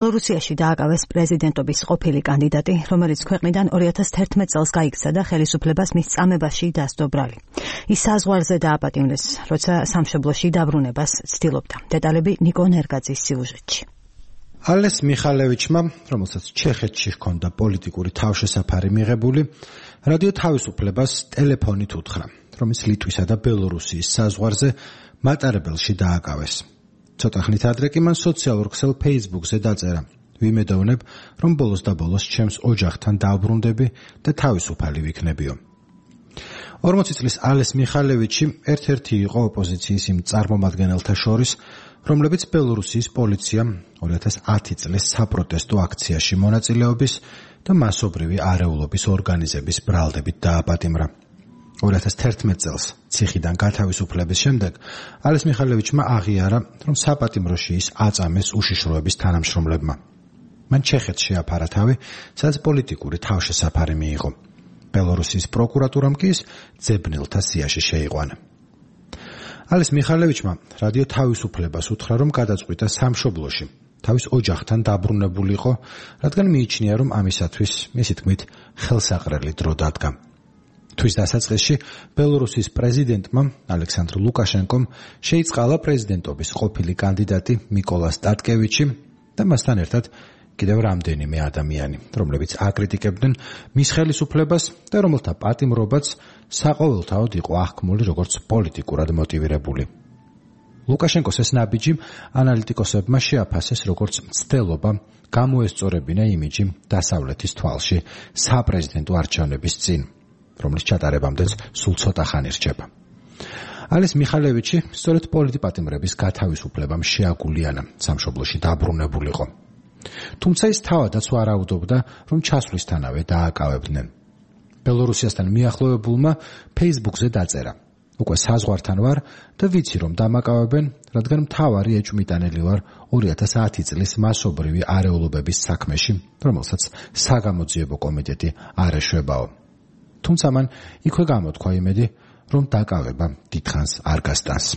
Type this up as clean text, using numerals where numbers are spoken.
ბელორუსიაში დააკავეს პრეზიდენტობის ყოფილი კანდიდატი, რომელიც ქვეყნიდან 2011 წელს გაიქცა და ხელისუფლებას მის წამებაში დასდო ბრალი. ის საზღვარზე დააპატიმრეს, როცა სამშობლოში დაბრუნებას ცდილობდა. დეტალები ნიკო ნერგაძის სიუჟეტში. ალეს მიხალევიჩმა, რომელსაც ჩეხეთში ჰქონდა პოლიტიკური თავშესაფარი მიღებული, რადიო თავისუფლებას ტელეფონით უთხრა, რომ ის ლიტვისა და ბელორუსიის საზღვარზე მატარებელში დააკავეს. ცოტა ხნით ადრე კი მან სოციალურ ქსელ Facebook-ზე დაწერა: ვიმედოვნებ, რომ ბოლოს და ბოლოს ჩემს ოჯახთან დავბრუნდები და თავისუფალი ვიქნებიო. 40 წლის ალეს მიხალევიჩი ერთ-ერთი იყო ოპოზიციის იმ წარმომადგენელთა შორის, რომლებიც ბელორუსიის პოლიციამ 2010 წლის საპროტესტო აქციაში მონაწილეობის და მასობრივი არეულობის ორგანიზების ბრალდებით დააპატიმრა. 2011 წელს ციხიდან გათავისუფლების შემდეგ ალეს მიხალევიჩმა აღიარა, რომ საპატიმროში ის აწამეს უშიშროების თანამშრომლებმა. მან ჩეხეთს შეაფარა თავი, სადაც პოლიტიკური თავშესაფარი მიიღო. ბელორუსიის პროკურატურამ კი ის ძებნელთა სიაში შეიყვანა. ალეს მიხალევიჩმა რადიო თავისუფლებას უთხრა, რომ გადაწყვიტა სამშობლოში თავის ოჯახთან დაბრუნებულიყო, რადგან მიიჩნია, რომ ამისათვის მისი თქმით ხელსაყრელი დრო დადგა. თვის დასაწყისში ბელორუსის პრეზიდენტმა ალექსანდრ ლუკაშენკომ შეიწყალა პრეზიდენტობის ყოფილი კანდიდატი მიკოლა სტატკევიჩი და მასთან ერთად კიდევ რამდენიმე ადამიანი, რომლებიც აკრიტიკებდნენ მის ხელისუფლებას და რომელთა პატიმრობაც საყოველთაოდ იყო აღქმული როგორც პოლიტიკურად მოტივირებული. ლუკაშენკოს ეს ნაბიჯი ანალიტიკოსებმა შეაფასეს როგორც მცდელობა გამოესწორებინა იმიჯი დასავლეთის თვალში საპრეზიდენტო არჩევნების წინ, რომლის ჩატარებამდეც სულ ცოტა ხანი რჩება. ალეს მიხალევიჩი სწორედ პოლიტპატიმრების გათავისუფლებამ შეაგულიანა სამშობლოში დაბრუნებულიყო. თუმცა ის თავადაც ვარაუდობდა, რომ ჩასვლისთანავე დააკავებდნენ. ბელორუსიასთან მიახლოვებულმა Facebook-ზე დაწერა: უკვე საზღვართან ვარ და ვიცი, რომ დამაკავებენ, რადგან მთავარი ეჭვმიტანელი ვარ 2010 წლის მასობრივი არეულობების საქმეში, რომელსაც საგამოძიებო კომიტეტი არ ეშვებაო. თუმცა მან იქვე გამოთქვა იმედი, რომ დაკავება დიდხანს არ გასტანს.